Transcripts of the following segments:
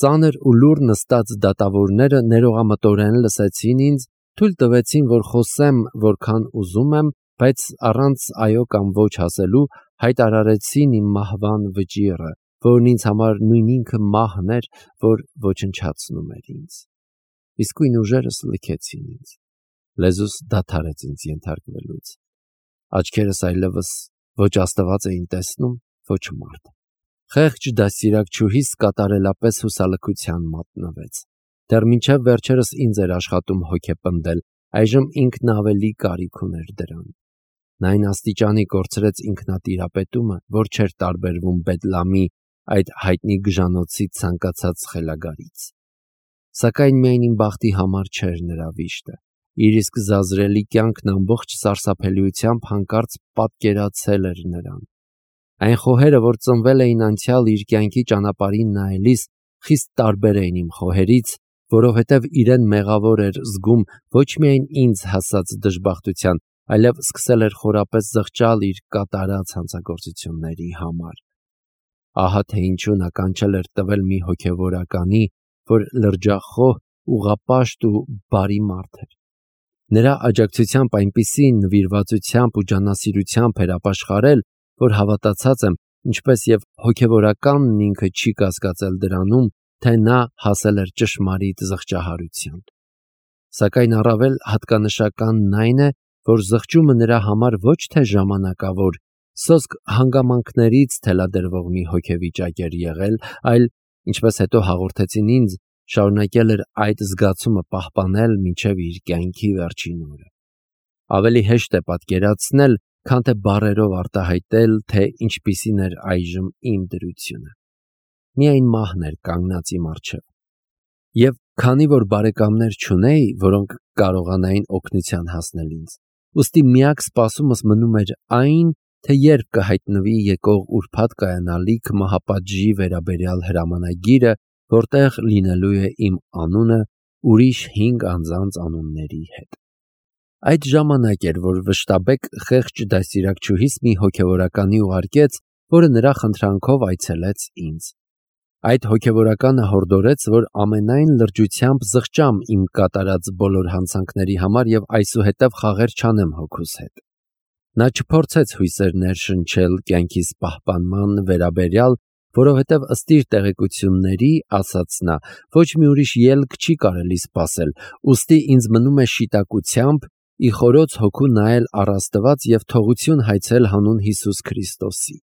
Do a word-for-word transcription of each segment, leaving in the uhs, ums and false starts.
ծանր ու լուռ նստած դատավորները ներողամտորեն լսեցին ինձ, թույլ տվեցին, որ խոսեմ որքան ուզում եմ, բայց առանց այո կամ ոչ ասելու հայտարարեցին իմ մահվան վճիռը, որն ինձ համար նույն ինքը մահն էր, որ ոչնչացնում էր ինձ։ Իսկույն ուժերս լքեցին ինձ։ Լեզուս դադարեց ինձ ենթարկվելուց։ Աչքերս այլևս ոչ Աստված էին տեսնում, ոչ մարդ։ Խեղճ դաստիարակչուհիս կատարելապես հուսալքության մատնվեց։ Դեռ մինչև վերջերս ինձ էր աշխատում հոգեպնդել, այժմ ինքն ավելի կարիք ուներ դրան։ Նա այն աստիճանի կորցրեց ինքնատիրապետումը, որ չէր տարբերվում Բեդլամի այդ հայտնի գժանոցի ցանկացած խելագարից։ Սակայն միայն իմ բախտի համար չէր նրա վիշտը։ Իր իսկ զազրելի կյանքն ամբողջ սարսափելիությամբ հանկարծ պատկերացել էր նրան։ Այն խոհերը, որ ծնվել էին անցյալ իր կյանքի ճանապարհին նայելիս, խիստ տարբեր էին իմ խոհերից, որովհետև իրեն մեղավոր էր զգում ոչ միայն ինձ հասած դժբախտության, այլև սկսել էր խորապես զղջալ իր կատարած հանցագործությունների համար։ Ահա թե ինչու նա կանչել էր տվել մի հոգևորականի, որ լրջախոհ, ուղղապաշտ ու բարի մարդ էր։ Նրա աջակցությամբ այնպիսի նվիրվածությամբ ու ջանասիրությամբ էր ապաշխարել, որ հավատացած եմ, ինչպես եւ հոգևորականն ինքը չի կասկածել դրանում, թե նա հասել էր ճշմարիտ զղջահարության։ Սակայն առավել հատկանշականն այն է, որ զղջումը նրա համար ոչ թե ժամանակավոր, սոսկ հանգամանքներից թելադրվող մի հոգեվիճակ էր եղել, այլ, ինչպես հետո հաղորդեցին ինձ, շարունակել էր այդ զգացումը պահպանել մինչև իր կյանքի վերջին օրը։ Ավելի հեշտ է պատկերացնել, քան թե բառերով արտահայտել, թե ինչպիսին էր այժմ իմ դրությունը։ Միայն մահն էր կանգնած իմ առջև։ Եվ քանի որ բարեկամներ չունեի, որոնք կարողանային օգնության հասնել ինձ, ուստի միակ սպասումս մնում էր այն, թե երբ կհայտնվի եկող ուրբաթ կայանալիք մահապատժի վերաբերյալ հրամանագիրը, որտեղ լինելու է իմ անունը ուրիշ հինգ անձանց անունների հետ։ Այդ ժամանակ էր, որ վշտաբեկ խեղճ դաստիարակչուհիս մի հոգևորականի ուղարկեց, որը նրա խնդրանքով այցելեց ինձ։ Այդ հոգևորականը հորդորեց, որ ամենայն լրջությամբ զղջամ իմ կատարած բոլոր հանցանքների համար եւ այսուհետև խաղեր չանեմ հոգուս հետ։ Նա չփորձեց հույսեր ներշնչել կյանքիս պահպանման վերաբերյալ, որովհետև ըստ իր տեղեկությունների, ասաց նա, ոչ մի ուրիշ ելք չի կարելի սպասել, ուստի ինձ մնում է շիտակությամբ ի խորոց հոգու նայել առ Աստված եւ թողություն հայցել հանուն Հիսուս Քրիստոսի։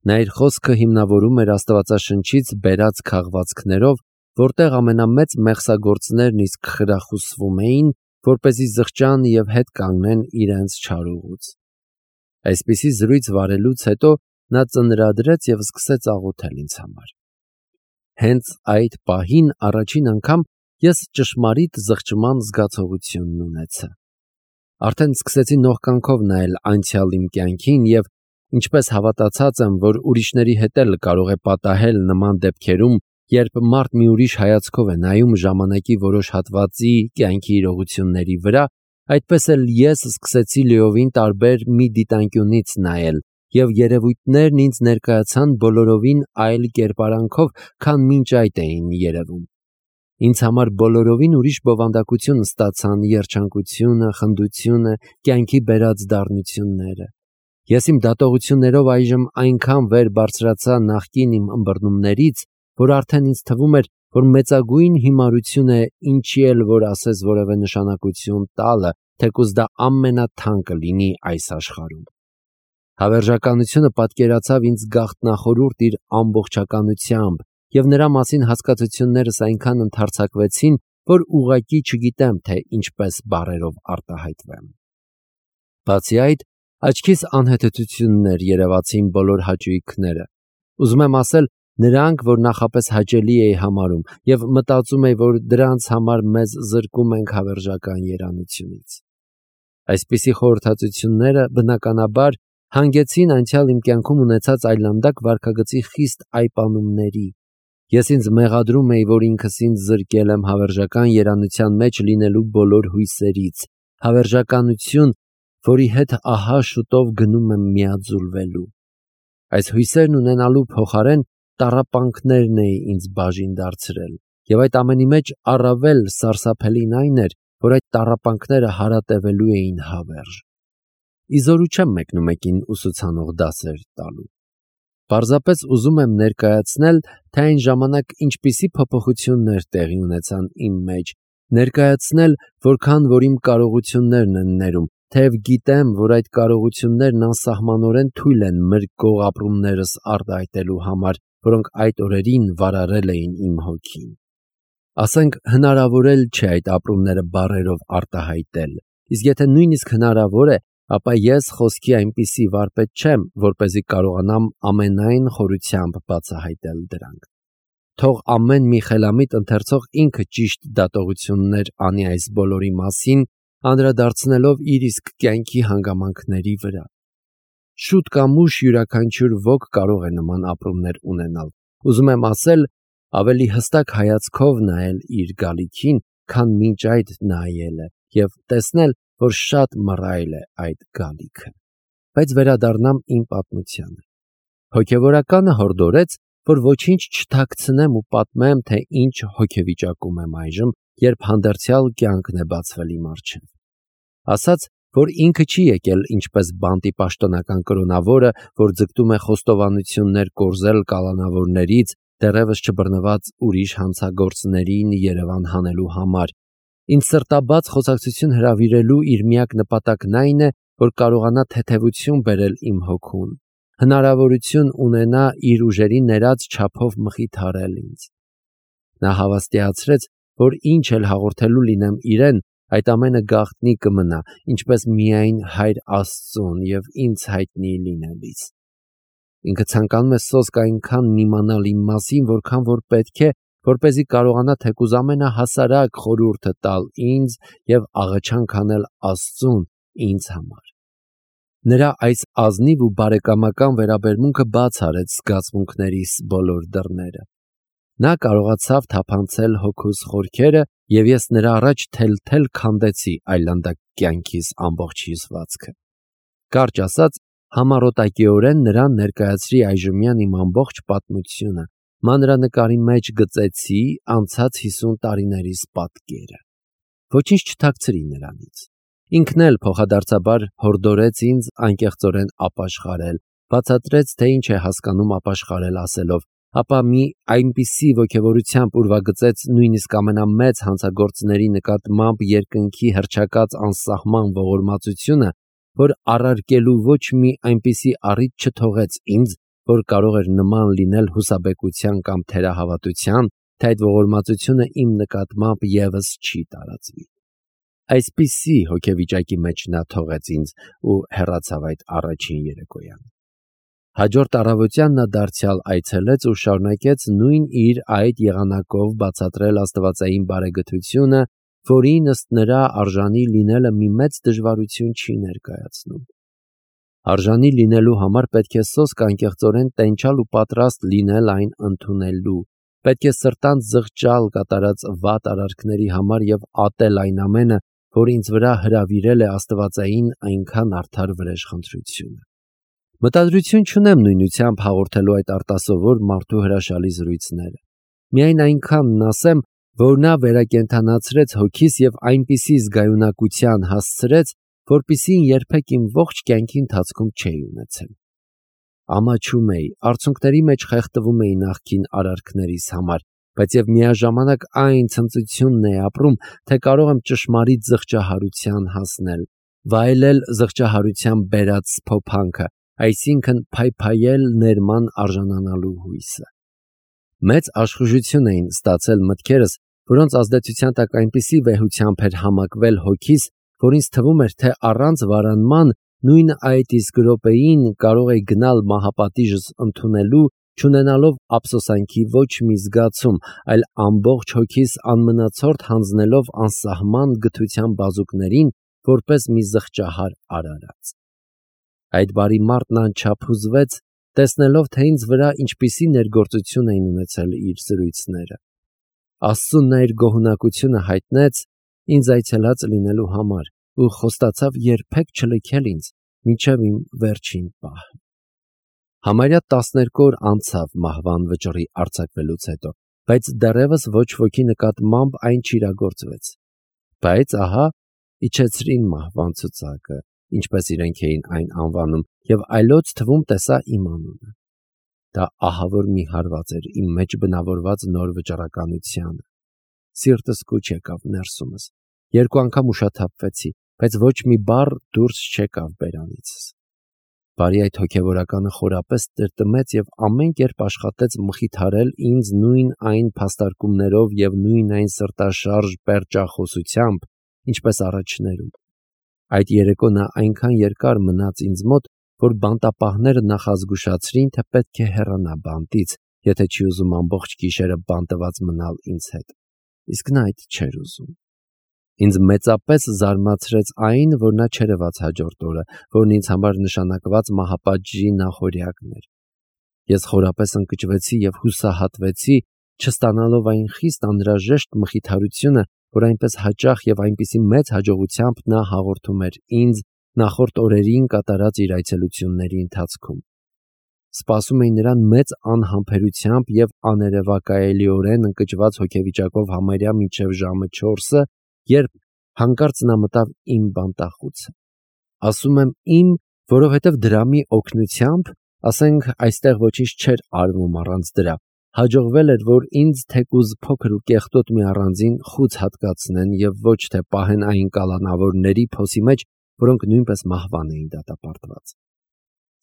Նա իր խոսքը հիմնավորում էր Աստվածաշնչից բերած քաղվածքներով, որտեղ ամենամեծ մեղսագործներն իսկ խրախուսվում էին, որպեսզի զղջան եւ հետ կանգնեն իրենց չարուղուց։ Այսպիսի զրույց վարելուց հետո նա ծնրադրեց եւ սկսեց աղոթել ինձ համար։ Հենց այդ պահին առաջին անգամ ես ճշմարիտ զղջման զգացողությունն ունեցա։ Արդեն սկսեցի նողկանքով նայել անցյալ իմ կյանքին եւ ինչպես հավատացած եմ, որ ուրիշների հետ էլ կարող է պատահել նման դեպքերում, երբ մարդ մի ուրիշ հայացքով է նայում ժամանակի որոշ հատվածի կյանքի իրողությունների վրա, այդպես էլ ես սկսեցի լիովին տարբեր մի դիտանկյունից նայել, եւ երևույթներն ինձ ներկայացան բոլորովին այլ կերպարանքով, քան մինչ այդ էին երևում։ Ինձ համար բոլորովին ուրիշ բովանդակություն ստացան երջանկությունը, խնդությունը, կյանքի բերած դառնությունները։ Ես իմ դատողություններով այժմ այնքան վեր բարձրացա նախկին իմ ըմբռնումներից, որ արդեն ինձ թվում էր, որ մեծագույն հիմարություն է ինչի էլ որ ասես որևէ նշանակություն տալը, թեկուզ դա ամենաթանկը լինի այս աշխարհում։ Հավերժականությունը պատկերացավ ինձ գաղտնախորուրդ իր ամբողջականությամբ, եւ նրա մասին հասկացություններս այնքան ընդարձակվեցին, որ ուղղակի չգիտեմ, թե ինչպես բառերով արտահայտվեմ։ Բացի այդ, աչքիս անհեթեթություններ երևացին բոլոր հաճույքները։ Ուզում եմ ասել, նրանք, որ նախապես հաճելի էի համարում, եւ մտածում էի, որ դրանց համար մեզ զրկում ենք հավերժական երանությունից։ Այսպիսի խորհրդածությունները բնականաբար հանգեցին անցյալ իմ կյանքում ունեցած այլանդակ վարքագծի խիստ այպանումների։ Ես ինձ մեղադրում էի, որ ինքս ինձ զրկել եմ հավերժական երանության մեջ լինելու բոլոր հույսերից, հավերժականություն, որի հետ ահա շուտով գնում եմ միաձուլվելու։ Այս հույսերն ունենալու փոխարեն տառապանքներն էի ինձ բաժին դարձրել, եւ այդ ամենի մեջ առավել սարսափելին այն էր, որ այդ տառապանքները հարատևելու էին հավերժ։ Իզորու չեմ մեկնումեկին ուսուցանող դասեր տալու։ Պարզապես ուզում եմ ներկայացնել, թե այն ժամանակ ինչպիսի փոփոխություններ տեղի ունեցան իմ մեջ, ներկայացնել, որքան որ իմ կարողություններն են ներում, թեև գիտեմ, որ այդ կարողություններն անսահմանորեն թույլ են մրգող ապրումներս արտահայտելու համար, որոնք այդ օրերին վարարել էին իմ հոգին։ Ասենք հնարավոր էլ չէ այդ ապրումները բառերով արտահայտել, իսկ եթե նույնիսկ հնարավոր է, ապա ես խոսքի այնպիսի վարպետ չեմ, որպեսզի կարողանամ ամենայն խորությամբ բացահայտել դրանք։ Թող ամեն մի խելամիտ ընթերցող ինքը ճիշտ դատողություններ անի այս բոլորի մասին, անդրադարձնելով իր իսկ կյանքի հանգամանքների վրա։ Շուտ կամ ուշ յուրաքանչյուր ոք կարող է նման ապրումներ ունենալ։ Ուզում եմ ասել, ավելի հստակ հայացքով նայել իր գալիքին, քան մինչ այդ նայել է, եւ տեսնել, որ շատ մռայլ է այդ գալիքը։ Բայց վերադառնամ իմ պատմությանը։ Հոգևորականը հորդորեց, որ ոչինչ չթաքցնեմ ու պատմեմ, թե ինչ հոգեվիճակում եմ այժմ, երբ հանդերձյալ կյանքն է բացվել իմ առջև։ Ասաց, որ ինքը չի եկել ինչպես բանտի պաշտոնական կրոնավորը, որ ձգտում է խոստովանություններ կորզել կալանավորներից, դեռևս չբռնված ուրիշ հանցագործներին Երևան հանելու համար։ Ինձ սրտաբաց խոսակցություն հրավիրելու իր միակ նպատակն այն է, որ կարողանա թեթևություն բերել իմ հոգուն, հնարավորություն ունենա իր ուժերի ներած չափով մխիթարել ինձ։ Նա հավաստիացրեց, որ ինչ էլ հաղորդելու լինեմ իրեն, այդ ամենը գաղտնի կմնա, ինչպես միայն Հայր Աստծուն եւ ինձ հայտնի լինելիս։ Ինքը ցանկանում է սոսկ այնքան իմանալ իմ մասին, որքան որ պետք է, որպեսզի կարողանա թեկուզ ամենահասարակ խորհուրդը տալ ինձ եւ աղաչանք անել Աստծուն ինձ համար։ Նրա այս ազնիվ ու բարեկամական վերաբերմունքը բաց արեց զգացմունքներիս բոլոր դռները։ Նա կարողացավ թափանցել հոգուս խորքերը, եւ ես նրա առաջ թել-թել քանդեցի այլանդակ կյանքիս ամբողջ հյուսվածքը։ Կարճ ասած, համառոտակիորեն նրան ներկայացրի այժմյան իմ ամբողջ պատմությունը, մանրանկարի մեջ գծեցի անցած հիսուն տարիներիս պատկերը։ Ոչինչ չթաքցրի նրանից։ Ինքն էլ փոխադարձաբար հորդորեց ինձ անկեղծորեն ապաշխարել, բացատրեց, թե ինչ է հասկանում ապաշխարել ասելով, ապա մի այնպիսի ոգևորությամբ ուրվագծեց նույնիսկ ամենամեծ հանցագործների նկատմամբ երկնքի հռչակած անսահման ողորմածությունը, որ առարկելու ոչ մի այնպիսի առիթ չթողեց ինձ, որ կարող էր նման լինել հուսաբեկության կամ թերահավատության, թե այդ ողորմածությունը իմ նկատմամբ ևս չի տարածվի։ Այսպիսի հոգեվիճակի մեջ նա թողեց ինձ ու հեռացավ այդ առաջին երեկոյան։ Հաջորդ առավոտյան նա դարձյալ այցելեց ու շարունակեց նույն իր այդ եղանակով բացատրել աստվածային բարեգթությունը, որին ըստ նրա արժանի լինելը մի մեծ դժվարություն չի ներկայացնում։ Արժանի լինելու համար պետք է սոսկ անկեղծորեն տենչալ ու պատրաստ լինել այն ընդունելու, պետք է սրտանց զղջալ կատարած վատ արարքների համար եւ ատել այն ամենը, որ ինձ վրա հրավիրել է աստվածային այնքան արդար վրեժխնդրությունը։ Մտադրություն չունեմ նույնությամբ հաղորդելու այդ արտասովոր մարդու հրաշալի զրույցները։ Միայն այնքանն ասեմ, որ նա վերակենդանացրեց հոգիս եւ այնպիսի զգայունակության հասցրեց, որպիսի երբեք իմ ողջ կյանքի ընթացքում չէի ունեցել։ Ամաչում էի, արցունքների մեջ խեղդվում էի նախկին արարքներիս համար, բայց եւ միաժամանակ այն ցնծությունն է ապրում, թե կարող եմ ճշմարիտ զղջահարության հասնել, վայելել զղջահարության բերած սփոփանքը, այսինքն փայփայել ներման արժանանալու հույսը։ Մեծ աշխուժություն էին ստացել մտքերս, որոնց ազդեցության տակ այնպիսի վեհությամբ էր համակվել հոգիս, որ ինձ թվում էր, թե առանց վարանման նույն այդ իսկ րոպեին կարող էի գնալ մահապատիժս ընդունելու, չունենալով ափսոսանքի ոչ մի զգացում, այլ ամբողջ հոգիս անմնացորդ հանձնելով անսահման գթության բազուկներին, որպես մի զղջահար արարած։ Այդ բարի մարդն անչափ հուզվեց, տեսնելով, թե ինձ վրա ինչպիսի ներգործություն էին ունեցել իր զրույցները։ Աստծուն նա իր գոհունակությունը հայտնեց ինձ այցելած լինելու համար ու խոստացավ երբեք չլքել ինձ մինչև իմ վերջին պահը։ Համարյա տասներկու օր անցավ մահվան վճռի արձակվելուց հետո, բայց դեռևս ոչ ոքի նկատմամբ այն չիրագործվեց։ Բայց ահա իջեցրին մահվան ցուցակը, ինչպես իրենք էին այն անվանում, եւ այլոց թվում տեսա իմ անունը։ Դա ահավոր մի հարված էր իմ մեջ բնավորված նոր վճռականությանը։ Սիրտս կուչ եկավ ներսումս։ Երկու անգամ ուշաթափվեցի, բայց ոչ մի բառ դուրս չեկավ բերանիցս։ Բարի այդ հոգևորականը խորապես տրտմեց եւ ամեն կերպ աշխատեց մխիթարել ինձ նույն այն փաստարկումներով եւ նույն այն սրտաշարժ պերճախոսությամբ, ինչպես առաջներում։ Այդ երեկո նա այնքան երկար մնաց ինձ մոտ, որ բանտապահները նախազգուշացրին, թե պետք է հեռանա բանտից, եթե չի ուզում ամբողջ գիշերը բանտված մնալ ինձ հետ։ Իսկ նա այդ չէր ուզում։ Ինձ մեծապես զարմացրեց այն, որ նա չերևաց հաջորդ օրը, որն ինձ համար նշանակված մահապատժի նախօրյակն էր։ Ես խորապես ընկճվեցի եւ հուսահատվեցի, չստանալով այն խիստ անհրաժեշտ մխիթարությունը, որ այնպես հաճախ եւ այնպիսի մեծ հաջողությամբ նա հաղորդում էր ինձ նախորդ օրերին կատարած իր այցելությունների ընթացքում։ Սպասում էի նրան մեծ անհամբերությամբ եւ աներևակայելիորեն ընկճված հոգեվիճակով համարյա մինչև ժամը չորսը, երբ հանկարծ նա մտավ իմ բանտախուցը։ Ասում եմ իմ, որովհետև դրամի օգնությամբ, ասենք, այստեղ ոչինչ չէր արվում առանց դրա, հաջողվել էր, որ ինձ թեկուզ փոքր ու կեղտոտ մի առանձին խուց հատկացնեն եւ ոչ թե պահեն այն կալանավորների փոսի մեջ, որոնք նույնպես մահվան էին դատապարտված։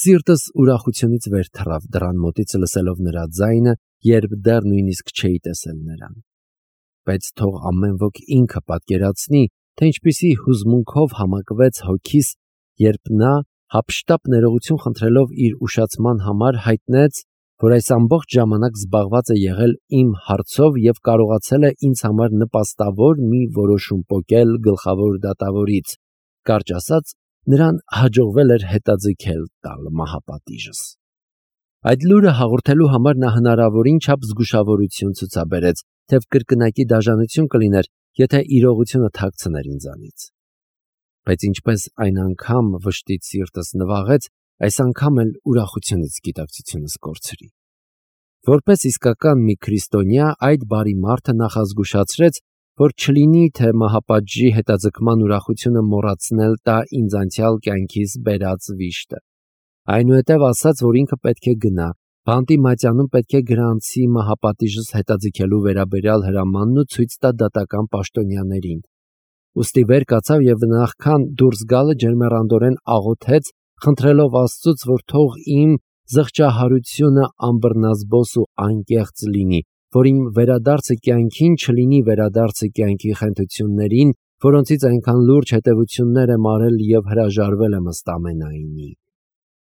Սիրտս ուրախությունից վեր թռավ դռան մոտից լսելով նրա ձայնը, երբ դեռ նույնիսկ չէի տեսել նրան։ Բայց թող ամեն ոք ինքը պատկերացնի, թե ինչպիսի հուզմունքով համակվեց հոգիս, երբ նա հափշտապ ներողություն խնդրելով իր ուշացման համար հայտնեց, որ այս ամբողջ ժամանակ զբաղված է եղել իմ հարցով եւ կարողացել է ինձ համար նպաստավոր մի որոշում պոկել գլխավոր դատավորից, կարճ ասած, նրան հաջողվել էր հետաձգել տալ մահապատիժս։ Այդ լուրը հաղորդելու համար նա հնարավորին չափ զգուշավորություն ցուցաբերեց, թեև կրկնակի դաժանություն կլիներ, եթե իրողությունը թաքցներ ինձանից։ Բայց ինչպես այն անգամ վշտից սիրտս նվաղեց, այս անգամ էլ ուրախությունից գիտակցությունս կորցրի։ Որպես իսկական մի քրիստոնյա, այդ բարի մարդը նախազգուշացրեց, որ չլինի, թե մահապատժի հետաձգման ուրախությունը մոռացնել տա ինձ անցյալ կյանքիս բերած վիշտը։ Այնուհետև ասաց, որ ինքը պետք է գնա, բանտի մատյանում պետք է գրանցի մահապատիժս հետաձգելու վերաբերյալ հրամանն ու ցույց տա դատական պաշտոնյաներին։ Ուստի վեր կացավ եւ նախքան դուրս գալը ջերմեռանդորեն աղոթեց, խնդրելով Աստծուց, որ թող իմ զղջահարությունը անբռնազբոս ու անկեղծ լինի, որ իմ վերադարձը կյանքին չլինի վերադարձը կյանքի խենթություններին, որոնցից այնքան լուրջ հետևություններ եմ արել եւ հրաժարվել եմ ըստ ամենայնի։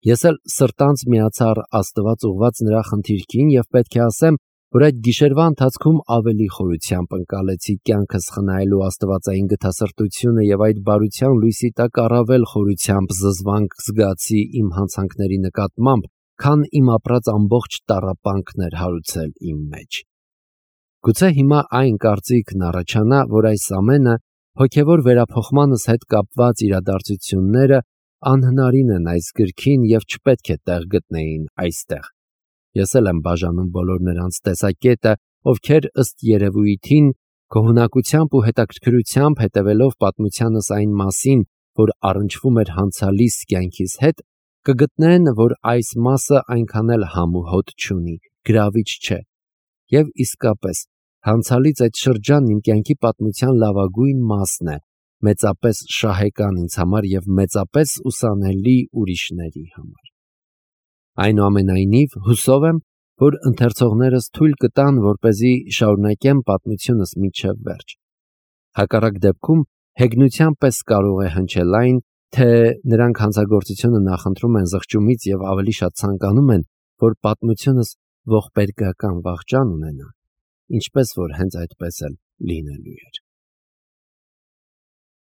Ես էլ սրտանց միացա Աստված ուղված նրա խնդիրքին եւ պետք է ասեմ, որ այդ գիշերվա ընթացքում ավելի խորությամբ ընկալեցի կյանքս խնայելու աստվածային գթասրտությունը եւ այդ բարության լույսի տակ առավել խորությամբ զզվանք զգացի իմ հանցանքների նկատմամբ, քան իմ ապրած ամբողջ տառապանքն էր հարուցել իմ մեջ։ Գուցե հիմա այն կարծիքն առաջանա, որ այս ամենը հոգևոր վերափոխմանս հետ կապված իրադարձությունները անհնարին են այս գրքին եւ չպետք է տեղ գտնեին այստեղ։ Ես էլ եմ բաժանում բոլոր նրանց տեսակետը, ովքեր ըստ երևույթին գոհունակությամբ ու հետաքրքրությամբ հետևելով պատմությանս այն մասին, որ առնչվում էր հանցալիս կյանքիս հետ, կգտնեն, որ այս մասը այնքան էլ համ ու հոտ չունի, գրավիչ չէ։ Եվ իսկապես, հանցալից այդ շրջանն իմ կյանքի պատմության լավագույն մասն է, մեծապես շահեկան ինձ համար եւ մեծապես ուսանելի ուրիշների համար։ Այնուամենայնիվ, հուսով եմ, որ ընթերցողներս թույլ կտան, որպեսզի շարունակեմ պատմությունս մինչև վերջ։ Հակառակ դեպքում հեգնության պես կարող է հնչել այն, թե նրանք հանցագործությունը նախընտրում են զղջումից եւ ավելի շատ ցանկանում են, որ պատմությունս ողբերգական վախճան ունենա, ինչպես որ հենց այդպես էլ լինելու էր։